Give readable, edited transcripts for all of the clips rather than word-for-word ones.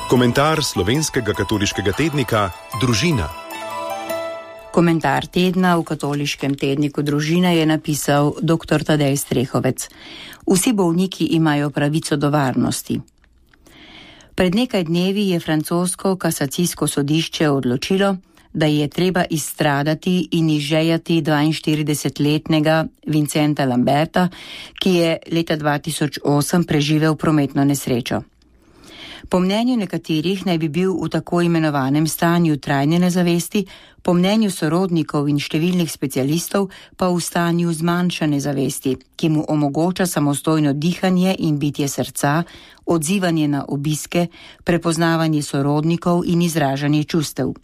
Komentar slovenskega katoliškega tednika Družina. Komentar tedna v katoliškem tedniku Družina je napisal dr. Tadej Strehovec. Vsi bolniki imajo pravico do varnosti. Pred nekaj dnevi je francosko kasacijsko sodišče odločilo, da je treba izstradati in izžejati 42-letnega Vincenta Lamberta, ki je leta 2008 preživel prometno nesrečo. Po mnenju nekaterih naj bi bil v tako imenovanem stanju trajne nezavesti, po mnenju sorodnikov in številnih specialistov pa v stanju zmanjšane zavesti, ki mu omogoča samostojno dihanje in bitje srca, odzivanje na obiske, prepoznavanje sorodnikov in izražanje čustev.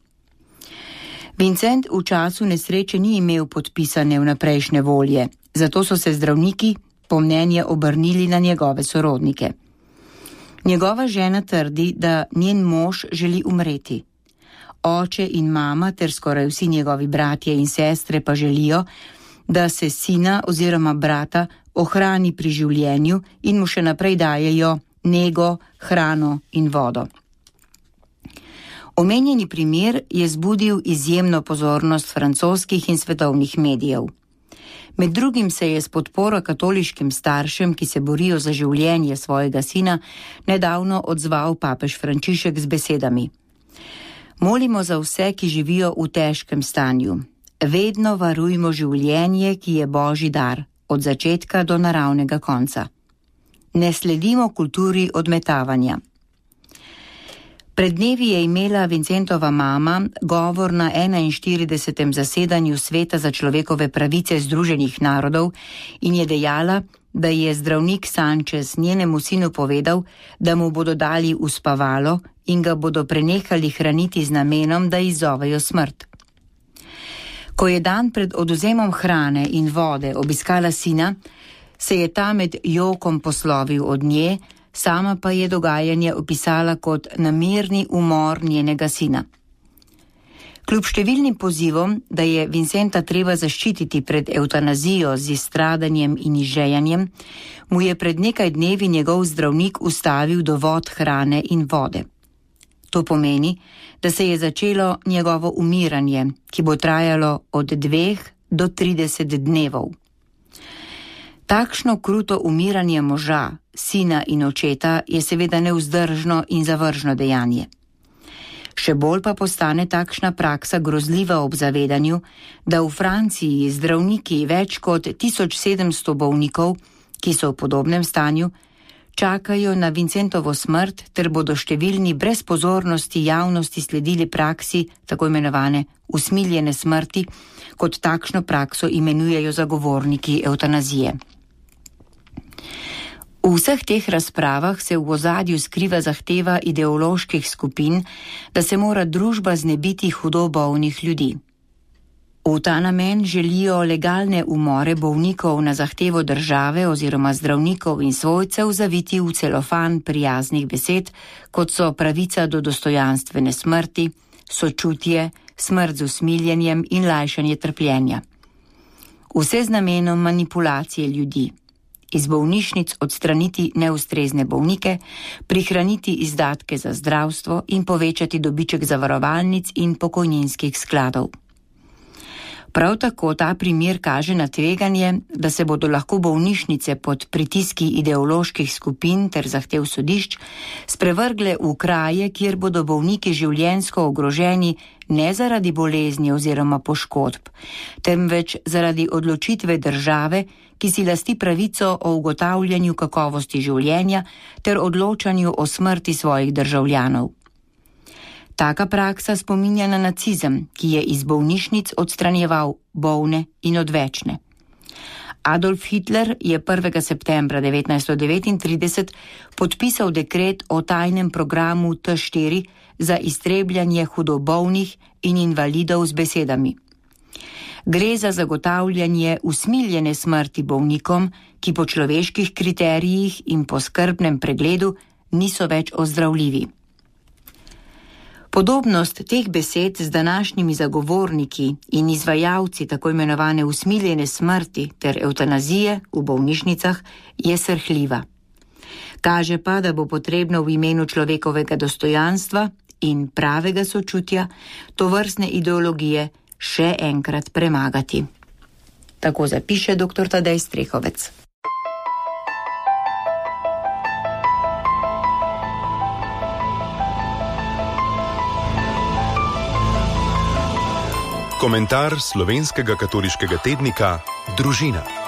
Vincent v času nesreče ni imel podpisane vnaprejšnje volje, zato so se zdravniki po mnenje obrnili na njegove sorodnike. Njegova žena trdi, da njen mož želi umreti. Oče in mama ter skoraj vsi njegovi bratje in sestre pa želijo, da se sina oziroma brata ohrani pri življenju in mu še naprej dajejo nego, hrano in vodo. Omenjeni primer je zbudil izjemno pozornost francoskih in svetovnih medijev. Med drugim se je s podporo katoliškim staršem, ki se borijo za življenje svojega sina, nedavno odzval papež Frančišek z besedami: Molimo za vse, ki živijo v težkem stanju. Vedno varujmo življenje, ki je Božji dar, od začetka do naravnega konca. Ne sledimo kulturi odmetavanja. Pred dnevi je imela Vincentova mama govor na 41. zasedanju Sveta za človekove pravice Združenih narodov in je dejala, da je zdravnik Sanchez njenemu sinu povedal, da mu bodo dali uspavalo in ga bodo prenehali hraniti z namenom, da izzovejo smrt. Ko je dan pred odvzemom hrane in vode obiskala sina, se je ta med jokom poslovil od nje, sama pa je dogajanje opisala kot namerni umor njenega sina. Kljub številnim pozivom, da je Vincenta treba zaščititi pred evtanazijo z izstradanjem in izžejanjem, mu je pred nekaj dnevi njegov zdravnik ustavil dovod hrane in vode. To pomeni, da se je začelo njegovo umiranje, ki bo trajalo od 2 do 30 dnevov. Takšno kruto umiranje moža, sina in očeta je seveda nevzdržno in zavržno dejanje. Še bolj pa postane takšna praksa grozljiva ob zavedanju, da v Franciji zdravniki več kot 1700 bolnikov, ki so v podobnem stanju, čakajo na Vincentovo smrt ter bodo številni brez pozornosti javnosti sledili praksi tako imenovane usmiljene smrti, kot takšno prakso imenujejo zagovorniki evtanazije. V vseh teh razpravah se v ozadju skriva zahteva ideoloških skupin, da se mora družba znebiti hudo bolnih ljudi. V ta namen želijo legalne umore bolnikov na zahtevo države oziroma zdravnikov in svojcev zaviti v celofan prijaznih besed, kot so pravica do dostojanstvene smrti, sočutje, smrt z usmiljenjem in lajšanje trpljenja. Vse z namenom manipulacije ljudi. Iz bolnišnic odstraniti neustrezne bolnike, prihraniti izdatke za zdravstvo in povečati dobiček zavarovalnic in pokojninskih skladov. Prav tako ta primer kaže na tveganje, da se bodo lahko bolnišnice pod pritiski ideoloških skupin ter zahtev sodišč sprevrgle v kraje, kjer bodo bolniki življenjsko ogroženi ne zaradi bolezni oziroma poškodb, temveč zaradi odločitve države, ki si lasti pravico o ugotavljanju kakovosti življenja ter odločanju o smrti svojih državljanov. Taka praksa spominja na nacizem, ki je iz bolnišnic odstranjeval bolne in odvečne. Adolf Hitler je 1. septembra 1939 podpisal dekret o tajnem programu T4 za iztrebljanje hudobolnih in invalidov z besedami: Gre za zagotavljanje usmiljene smrti bolnikom, ki po človeških kriterijih in po skrbnem pregledu niso več ozdravljivi. Podobnost teh besed z današnjimi zagovorniki in izvajalci tako imenovane usmiljene smrti ter evtanazije v bolnišnicah je srhljiva. Kaže pa, da bo potrebno v imenu človekovega dostojanstva in pravega sočutja tovrstne ideologije še enkrat premagati. Tako zapiše dr. Tadej Strehovec. Komentar slovenskega katoliškega tednika Družina.